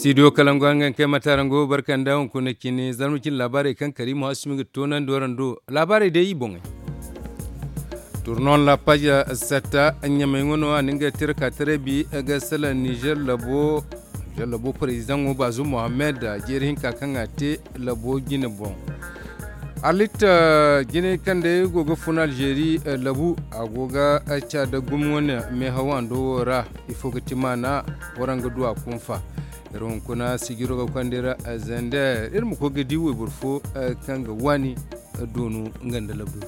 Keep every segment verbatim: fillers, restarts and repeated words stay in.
Ido kalangu hangan kay matarango barkanda hunkuna cine zarma cine laabaarey kaŋ karimu hasumi ga toonandi warando. Laabaarey day i boŋey. Turnon la page setta ɲamay ŋo no a na nga tira ka taray bi ga salaŋ nizer labo. Nizer labo parezidaŋo bazu mohammed jeeri hinka kaŋ a te labo jine boŋ. Arlit jinay kaŋ day go ga fun alzeeri labu a go ga ca da gumo wane meehaw hando wo ra. Ifo ga ti maana waraŋ ga du a kunfa. Iri hunkuna sijiro ga konda iri zender iri ma koy ga di wayboro fo kaŋ ga waani doonu nga nda labu.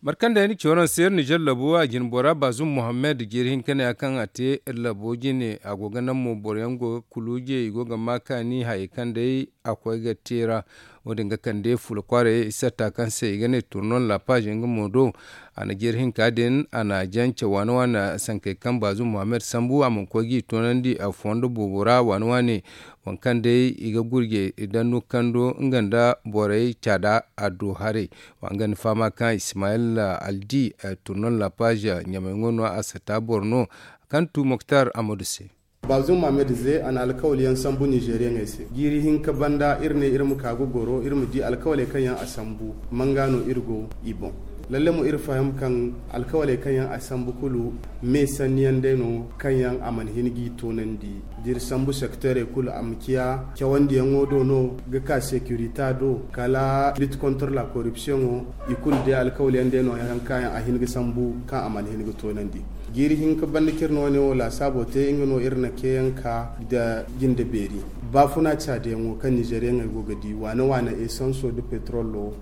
Mate kaŋ day ni ci waraŋ se iri nizer labo a jine bora bazum mohammed jeeri hinka ne ya kaŋ a te iri labo jine a go ga naŋ mo boro yaŋ go ga kuluuje i go ga ma kaani hayey kaŋ day a koy ga te ra. Wo- din ga kande fula kwaaray isatta kaŋ se i ga ne turnon la page nga mo do. A na jeeri hinka din a na jance waana waana sankey kaŋ bazu muhammad sambu a mana koy g'i toonandi a fondo boobo ra waana waane. Waŋ kaŋ day i ga gurjey danno kando nga nda borey caada a do haray. Wa nga ni fahama kaŋ ismayil aldi turnon la page ɲamay ŋo no a satta boro no kaŋ tu moktar amadu se. Bazum mohammed ze a na alkawal yaŋ sambu nizeriyaŋey se jiiri hinka banda iri ne iri ma ka ga goro iri ma di alkawaley kaŋ yaŋ a sambu. Manga no iri go i boŋ. Lalle mo iri faham kaŋ alkawaley kaŋ yaŋ a sambu kulu me sanni yaŋ day no kaŋ yaŋ a mana hin g'i toonandi. Da iri sambu sekteerey kulu a ma ciya cawandiyaŋo do no ga ka sekirita do kala lit kontor la koripsiyoŋo. I kulu day alkawal yaŋ day no yaŋ kaŋ yaŋ a hin ga sambu kaŋ a mana hin ga toonandi. Jiiri hinka banda kaŋ iri no wane wo laasaabo te nga no iri na ceeyaŋ ka nda jinde beeri. Baafuna caadiyaŋo kaŋ nizeriyaŋey go ga di waane waane esanso nda petrolo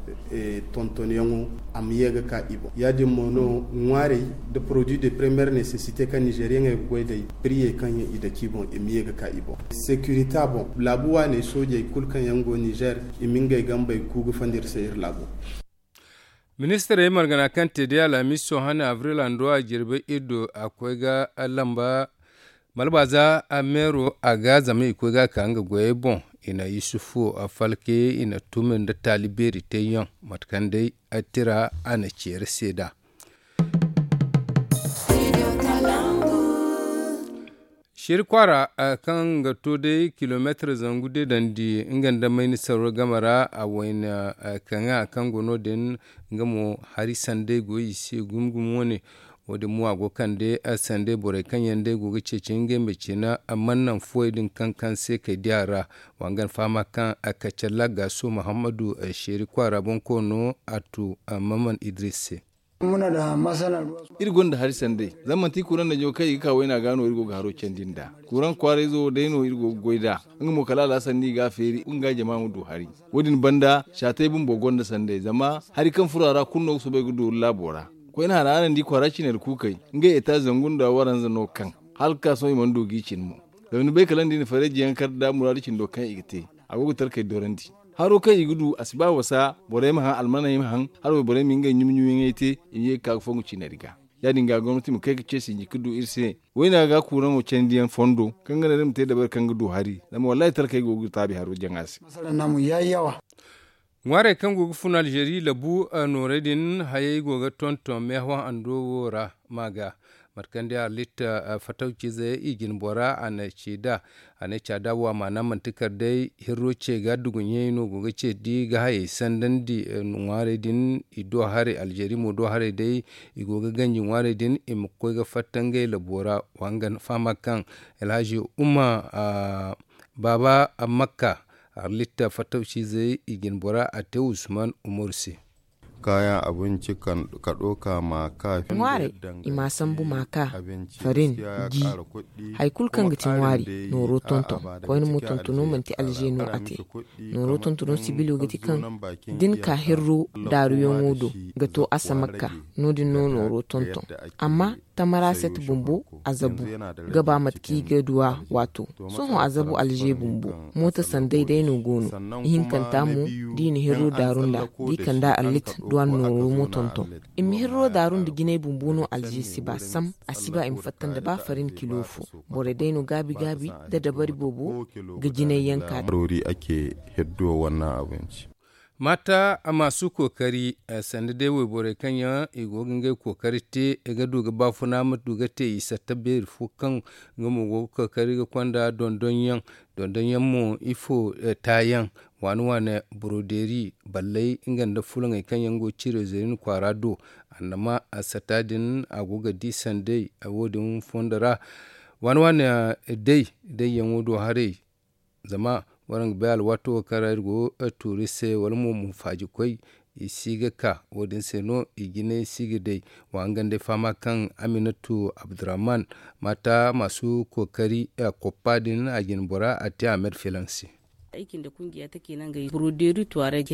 tontonyaŋo a ma ye ga ka i boŋ ya- din mo no ŋwaarey nda produit de première nécessité kaŋ nizeriyaŋey ga goy day piriyey kaŋ yaŋ i dake i boŋ i ma ye ga ka i boŋ. Sekirita boŋ laabu waaney soojey kulu kaŋ yaŋ go nizer i ma ngey gambey ku ga fandi iri se iri laabo. Ministirey margana kaŋ te day alhamiso hane abril hando a jirbi iri do a koy ga lamba malbaaza meero a ga zama i koy ga a ka nga goyey boŋ. I na yusufu falke i na tumi nda taali beeri teeyaŋ mate kaŋ day tira a na ceeri seeda. Seeri kwaara kaŋ ga to day kilomeetir zangu deedandi nga nda mayni saro game ra a wayna kaŋa kaŋ go no- din. Nga mo hari sanday go i se gumo gumo wane. Wo- din mo a go kande sanday borey kaŋ yaŋ day go ga ceeci ngey ma cina man naŋ fuwey din kaŋ kaŋ se kay di a ra. Wa nga ni fahama kaŋ kaccalla gaaso muhammadu seeri kwaara boŋ koono a tu maman idris se. Iri gonda hari sanday zama manti kuraŋ najo kaŋ i ga ka wayna ga no iri go ga haro candi nd'a. Kuraŋ kwaarayzo wo day no iri go ga goy nd'a. Nga mo kala alhasan no i ga a feeri nga jama ma du hari. Wo- din banda saatey bumbo gonda sanday zama hari kaŋ furo a ra kulu no ga soobay ga dooru laabo ra. Koyne hara araŋ di kwaara cinari kuukey ngey eta zangu nda waranza no kaŋ hala ga ka sohõ i mana du g'i cin mo. Zama ni bay kala nda i na farayji yaŋ kar nda muraadu cindo kaŋ i ga te a go ga talkey dorandi. Haro kaŋ i ga du a si ba wasa borey ma haŋ almaney ma haŋ hala wayborey ma ngey ɲumi ɲumiyaŋey te. I ma ye ga ka ga fongu cinari ga ya- din ga gomnati ma kay ga ce sinji ga du iri se. Wayna ga kuraŋo candiyaŋ fondo kaŋ ga naŋ iri ma te dabari kaŋ ga du hari zama wallahi talkey go ga taabi haro jaŋa se. Ŋwaarey kaŋ go ga fun alzeeri labu noorey din hayey go ga tonton meehaw hando wo ra. Ma ga mate kaŋ day arlit fatawciize i jine bora a na ci nd'a. A ne caada wo a maana manti kala day hirro ce ga duguɲey no go ga ce da i ga hayey sandandi. Ŋwaarey din i do haray alzeeri mo do haray day i go ga ganji ŋwaarey din i ma koy ga fatta ngey labo ra. Wa nga ni fahama kaŋ alhazi umma baaba makka arlit fatawciizey i jine bora a te usman umaru se. Kaayaŋ abinci ka ɗauka ma ka ŋwaarey i ma sambu ma ka farin gi hari kulu kaŋ ga ti ŋwaari nooro tonton. Koyne mo tontono manti alze no a te. Nooro tontono sibilo ga ti kaŋ da ni ka hirro daaruyaŋo do ga to a samakka. No- din no nooro tonton amma tamara set bumbo a zabu ga ba mate kaŋ i ga duwa waato. Sohõ a zabu alze bumbo mooto sanday day no go no. Ihinkanta mo da i na hirro daaru nd'a da i kand'a allit duw'a nooro mo tonton. I ma hirro daaru nda jinay bumbo no alze si ba sam a si ba i ma fatta nda ba farin kilo fo. Borey day no gaabi gaabi nda dabari boobo ga jinay yaŋ ka. Roori ake heddo wanna abinci. Mata a ma su kookari sanda day wayborey kaŋ yaŋ i go ga ngey kookari te, ga du ga baafuna ma du ga te i satta beeri fo kaŋ nga mo go ga kookari ga konda dondonyaŋ. Dondonyaŋ mo ifo taayaŋ waani waani, borodeeri ballay nga nda fulaŋey kaŋ yaŋ go ciiray zeerin kwaara do. Annama satta din a go ga di sanday wo- din fondo ra. Waani waani day dayyaŋo do haray. Zama waraŋ ga bay alwaato wo kaŋ ra iri go tuuri se wala mo mo faajikoy i si ga ka. Wo- din se no i jinay si ga day. Wa nga nda ay fahama kaŋ aminatu abdurrahman mata masu kookari koppa din a jine bora a te a me da filaŋ se.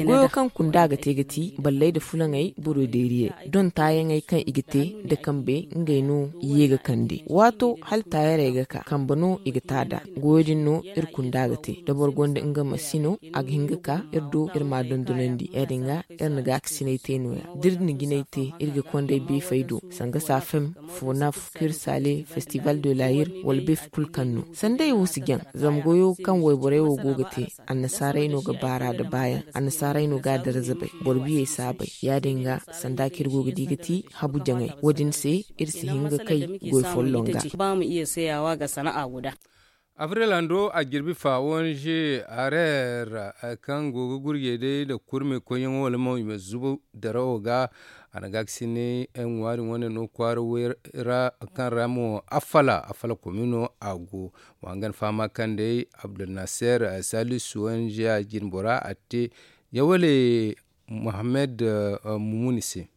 Goyo kaŋ kunda ga te ga ti ballay nda fulaŋey borodeeriyey doŋ taayaŋey kaŋ i ga te nda kambe ngey no i ye ga kande waato hala taayarey ga ka kambe no i ga ta nd'a. Goyo din no iri kunda ga te da boro gonda nga masino a ga hin ga ka iri do iri m'a dondonandi ya- din ga iri na gaakasinay te no- ya da iri na jinay te iri ga konday beefey do sanga saafem, fonaf, kirsaale, festival de laayir wala beefe kulu kaŋ no sanday wo si jaŋ. Zama goyo kaŋ wayborey wo go ga te annasaarey no ga baara nda baayaŋ. Annasaarey no ga a darza bay boro biyey si a bay ya- din ga sanda kaŋ iri go ga di ga ti habu jaŋay wo- din se iri si hin ga kay goy folloŋ ga. Abril hando a jirbi fa wanje areer kaŋ go ga gurjey day nda kurmey koyyaŋo wala mo i ma zubu darawo ga. A na gaakasinay ŋwaari wane no kwaara way ra kaŋ ra mo affala affala komi no a go. Wa nga na fahama kaŋ day abdulnaseer salisu wanje a jine bora a te yawale muhammad mumuni se.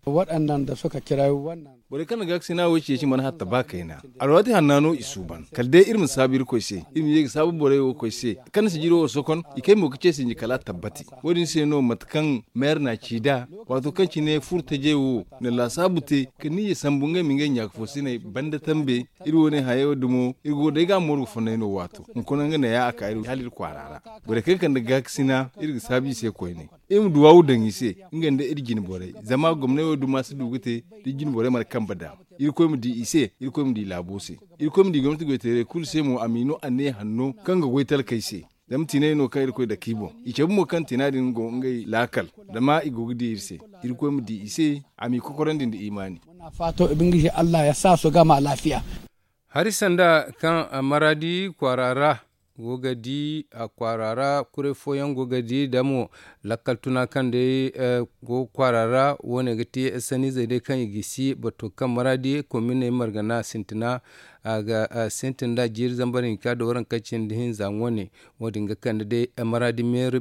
Waɗannan da suka kira wannan borey kaŋ na gaakasina wo ceeci mana hatta ba kayna. Alwaati hanna no i suuban kala day iri ma saabu irkoy se iri ma ye ga saabu borey wo koy se kaŋ na sijiro wo sokon i kay mo ga ce sinji kala a tabbati. Wo-din se no mate kaŋ meer na ci nd'a waato kaŋ cine furo tajey wo na laasaabu te ka niyya sambu ngey ma ngey ɲaaka fo siney banda tambe. Iri wo ne hayey wo dumo iri go day ga a mooru ga fonnay no waato hunkuna nga neeya a ka iri hala iri kwaara ra. Borey kaŋ kande gaakasina iri ga saabu i se koyne iri ma duwaawu daŋ i se nga nda iri jine borey zama gomnay wo duma si du ga te da jine borey mana kambe daŋ. Irkoy ma di i se irkoy ma di laabo se. Irkoy ma di gomnati goyteerey kulu se mo a m'i no anniya hanno kaŋ ga goy talkey se. Zama tiinay no kaŋ irkoy dake i boŋ i cabe mo kaŋ tiina din go ngey laakal. Zama i go ga di iri se irkoy ma di i se a m'i kokorandi nda imaani. Hari sanda kaŋ maraadi kwaara ra go ga di a kwaara ra kuray fooyaŋ go ga di da mo lakkal tuna kaŋ day go kwaara ra wo- ne ga te sanniizey day kaŋ i gisi bato kaŋ maraadi kominey margana sintina. A ga sintin da jiiri zambar hinka da waranka cindi hinza wane. Wo- din ga kande day maraadi meeri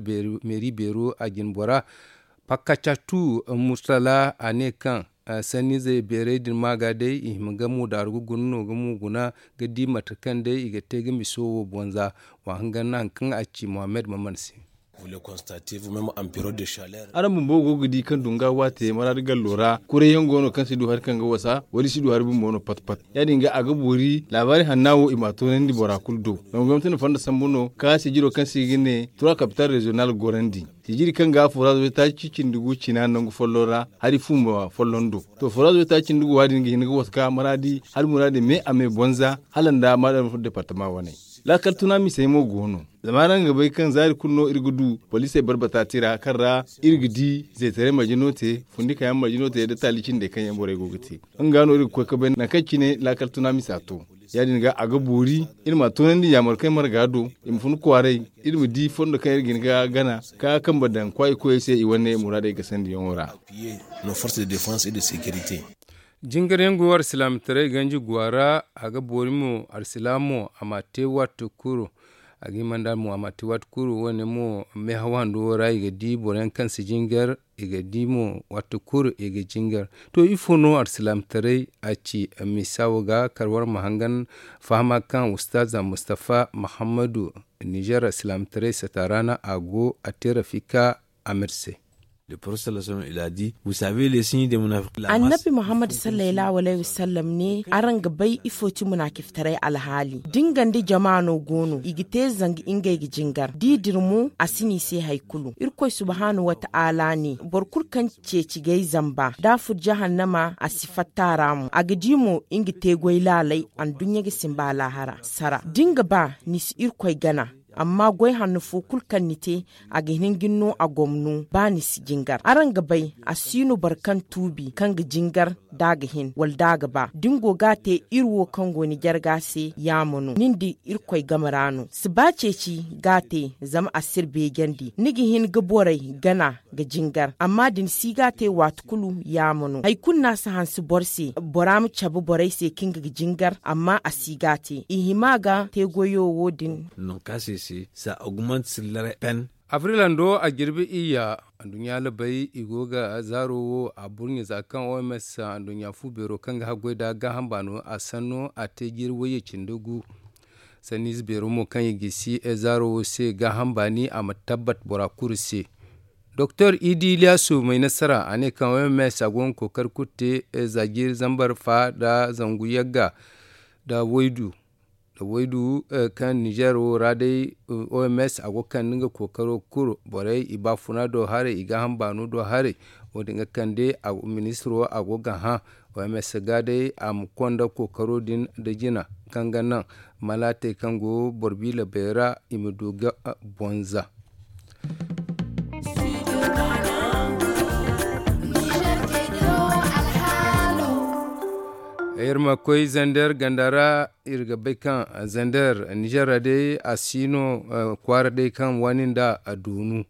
beeru a jine bora. Pakacatu murtala a ne kaŋ sanniizey beerey din ma ga day i hima ga mo daaru ga guna no ga mo guna ga di mate kaŋ day i ga te ga miso wo bonza. Wa hangan na hari kaŋ a ci mohammed maman se. Araŋ bumbo go ga di kaŋ dunga waate maraadi gallo ra kuray yaŋ go no kaŋ si du hari kaŋ ga wasa wala i si du hari bumbo no pat pat. Ya- din ga a ga boori laabaari hanna wo i m'a toonandi bora kulu do. Zama gomnati na fondo sambu no kaŋ a sijiro kaŋ se i ga ne trois capital reziyonal gorandi. Sijiri kaŋ ga foraaz waytaaci cindi gu cina nangu folloŋ ra hari fu ma folloŋ do. To foraaz waytaaci cindi gu wa- din ga hin ga waska maraadi hala muraadi me a me bonza hala nda maraadi departama wane. Laakal tuna misey mo go no. Zama araŋ ga bay kaŋ zaari kulu no iri ga du poliisey barbata tira kaŋ ra iri ga di zeetaray marje no te fundikayaŋ marje no te nda taali cindey kaŋ yaŋ borey go ga te. Nga no iri ga koy ga bay nangu kaŋ cine laakal tuna misa to. Ya- din ga a ga boori iri ma a toonandi yaamar kaŋ ay marga do i ma fun kwaaray. Iri ma di fondo kaŋ iri ga hin ga gana ka kambe daŋ kwaayi koyey se i wane muraadey gasandiyaŋo ra. Jingar yaŋ go alsilaamataray ganji guwa ra a ga boori mo alsilaamo a ma te wattu kuru. A ga hima nd'a mo a ma te wattu kuru wo- ne mo meehaw hando wo ra i ga di boro yaŋ kaŋ si jingar. I ga di mo wattu kuru i ga jingar. To ifo no alsilaamataray a ci misa wo ga kar war ma hangan fahama kaŋ ustaaza mustafa muhammadu nizer alsilaamataray sata ra no a go a te rafika. Amer se. Annabi muhammad sallallahu alayhi wasallam ne araŋ ga bay ifo ci munaafiftaray alhaali da nga nda jama no go no i ga te zanga ngey ga jingar da i dira mo a si no i se hari kulu. Irkoy subhaanahu wataala ne boro kulu kaŋ ceeci gay zamba da a fur jahannama a si fatta a ra mo a ga di mo nga te goy laalay anduɲɲa ga simba alaahara sara da nga ba ni si irkoy gana. Amma goy hanno fo kulu kaŋ ni te, a ga hin ga ni no a gomno ba ni si jingar. Araŋ ga bay, a si no boro kaŋ tuubi kaŋ ga jingar da a ga hin wala da a ga ba. Da ni go ga a te, iri wo kaŋ go ni jarga se yaama no, nin da irkoy game ra no. Si ba ceeci ga a te, zama a si iri beejandi. Ni ga hin ga borey gana ga jingar, amma da ni si ga a te, waati kulu yaama no. Hari kulu no a si hanse boro se, bora ma cabe borey se kaŋ ga jingar, amma a si ga a te. I hima ga te goyo wo- din. Nankaasey se, za augment sillare pen. Abril hando a jirbi iyya. Anduɲɲa labay i go ga zaaro wo a burɲe za kaŋ oms anduɲɲa fu beero kaŋ ga haggoy da gaaham baano a sanno a te jiiri wayye cindi gu. Sanniize beero mo kaŋ i gisi zaaro wo se gaaham baani a ma tabbat bora kulu se. Doktor idi iliyasu may nasara a ne kaŋ oms a go ga kookari kulu te za jiiri zambar fa nda zangu yagga nda waydu. Nda waydu kaŋ nizer wo ra day, oms a go ga kande nga kookaro kulu borey i baafuna do haray i gaaham baano do haray. Wo- din ga kande ministiro a go ga hã. Oms ga day a ma konda kookaro din nda jina kaŋ ga naŋ malaatey kaŋ go boro biila bay ra i ma du ga bonza. Iri ma koy zander ganda ra. Iri ga bay kaŋ zander nizer ra day a si no kwaara day kaŋ waani nda a doonu.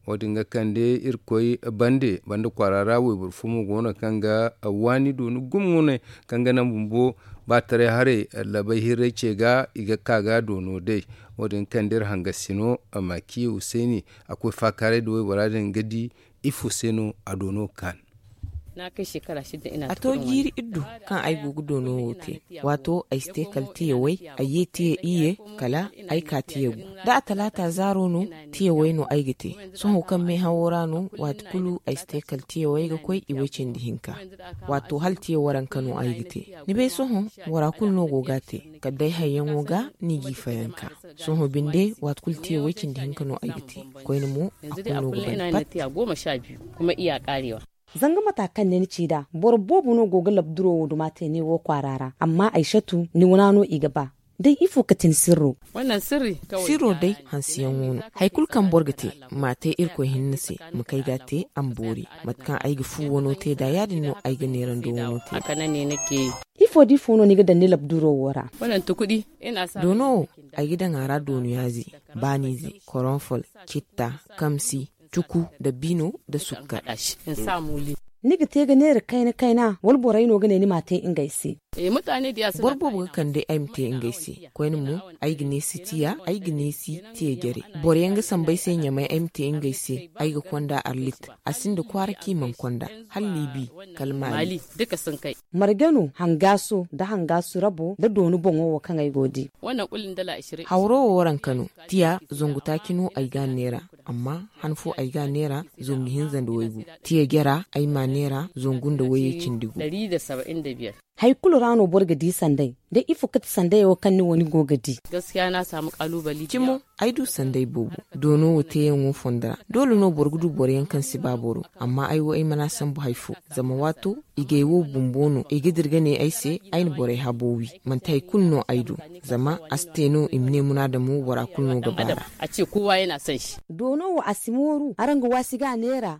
Wo- din ga kande iri koy bande bande kwaara ra wayboro fo mo go no kaŋ ga waani doonu gumo no kaŋ ga naŋ bumbo ba taray haray labay hirray ce ga i ga ka ga doono day. Wo- din ga kande iri hangasino maaki huseeni a koy faakaaray nda waybora din ga di ifo se no a doono ga kaan. A to jiiri iddu kaŋ ay go ga doono wo te. Waato ay si te kala tiya way, ay ye tiya iyye, kala ay ka tiya gu. Da a talaata zaaro no, tiya way no ay ga te. Sohõ kaŋ meehawo ra no, waati kulu ay si te kala tiya way ga koy i way cindi hinka. Waato hala tiya waranka no ay ga te. Ni bay sohõ, bora kulu no go ga a te. Kala day hayyaŋo ga no i g'i fayanka. Sohõ binde waati kulu tiya way cindi hinka no ay ga te. Koyne mo a kulu no ga ban pat. Zanga mata kaŋ ne ni ci nd'a boro boobo no go ga labduro wo duma te ne wo kwaara ra amma ay satu ni wana no i ga ba. Day ifo kate ni sirro? Sirro day hansiyaŋo no. Hari kulu kaŋ boro ga te, m'a te irkoy hinne se. Ma kay ga a te a ma boori. Mate kaŋ ay ga fu wano te nd'a ya- din no ay ga neerando wano te nd'a. Ifo da ifo no ni ga daŋ ni labduro wo ra? Doono wo, ay ga daŋ a ra doonuyaaze, baaniize, koronfol, citta, kamsi, cuku, dabbino, nda sukkar. Ni ga te ga neera kayna kayna wala borey no ga ne ni m'a te ngey se? Boro boobo ga kande ay ma te ngey se. Koyne mo, ay ga neesi tiya, ay ga neesi tiya jare. Boro yaŋ ga sambu ay se ɲamay ay ma te ngey se. Ay ga konda arlit. A sinda kwaara kaŋ i mana konda, hala liibi, kala maali. Marge no hangaaso nda hangaasu rabo nda dooni boŋo wo kaŋ ay go ga di. Hawro wo waranka no. Tiya zangu taaci no ay ga a neera. Amma han fo ay ga a neera zangu hinza nda waygu. Tiya jara ay m'a neera zangu nda wayye cindi gu. Hari kulu ra no boro ga di sanday? Day ifo kate sanday wo kaŋ ni wo ni go ga di? Cimo, ay du sanday boobo. Doono wo teeyaŋo fondo ra doole no boro ga du boro yaŋ kaŋ si ba boro. Amma ay wo ay mana sambu hari fo. Zama waato, igay wo bumbo no i ga dira ga ne ay se. Ay na borey habo wi. Manti hari kulu no ay du. Zama a si te no i ma ne munaadamo bora kulu no ga ba ra. Doono wo a si mooru araŋ ga waasi ga a neera?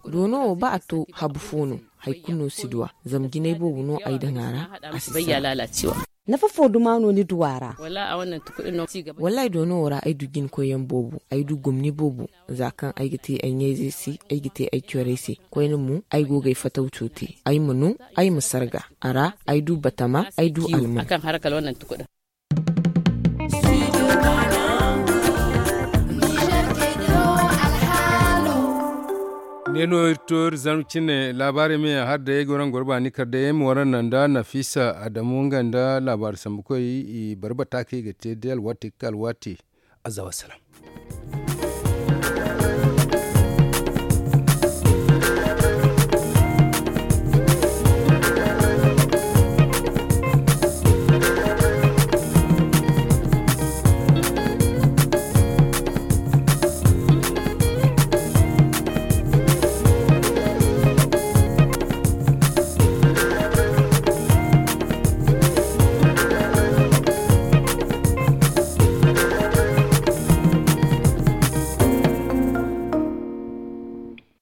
Doono wo ba a to habu fo no. Hari kulu no si du a. Zama jinay boobo no ay daŋ a ra. A si sara. Nafa fo duma no ni du a ra? Wallaahi doono wo ra ay du jinkoyyaŋ boobo. Ay du gomni boobo. Za kaŋ ay ga te ay ɲayzey se, ay ga te ay corey se. Koyne mo, ay go ga ay fatawco te. Ay ma no, ay ma sarga a ra. Ay du batama, ay du alman. Ne no iri to iri zarma cine laabaarey me yaŋ hari day ay go raŋ goro baani kar day ay ma wara naŋ nda nafiisa adamu nga nda laabaari sambukoy. I barbata kaŋ i ga te day alwaati ga ka alwaati. Azza wassalam.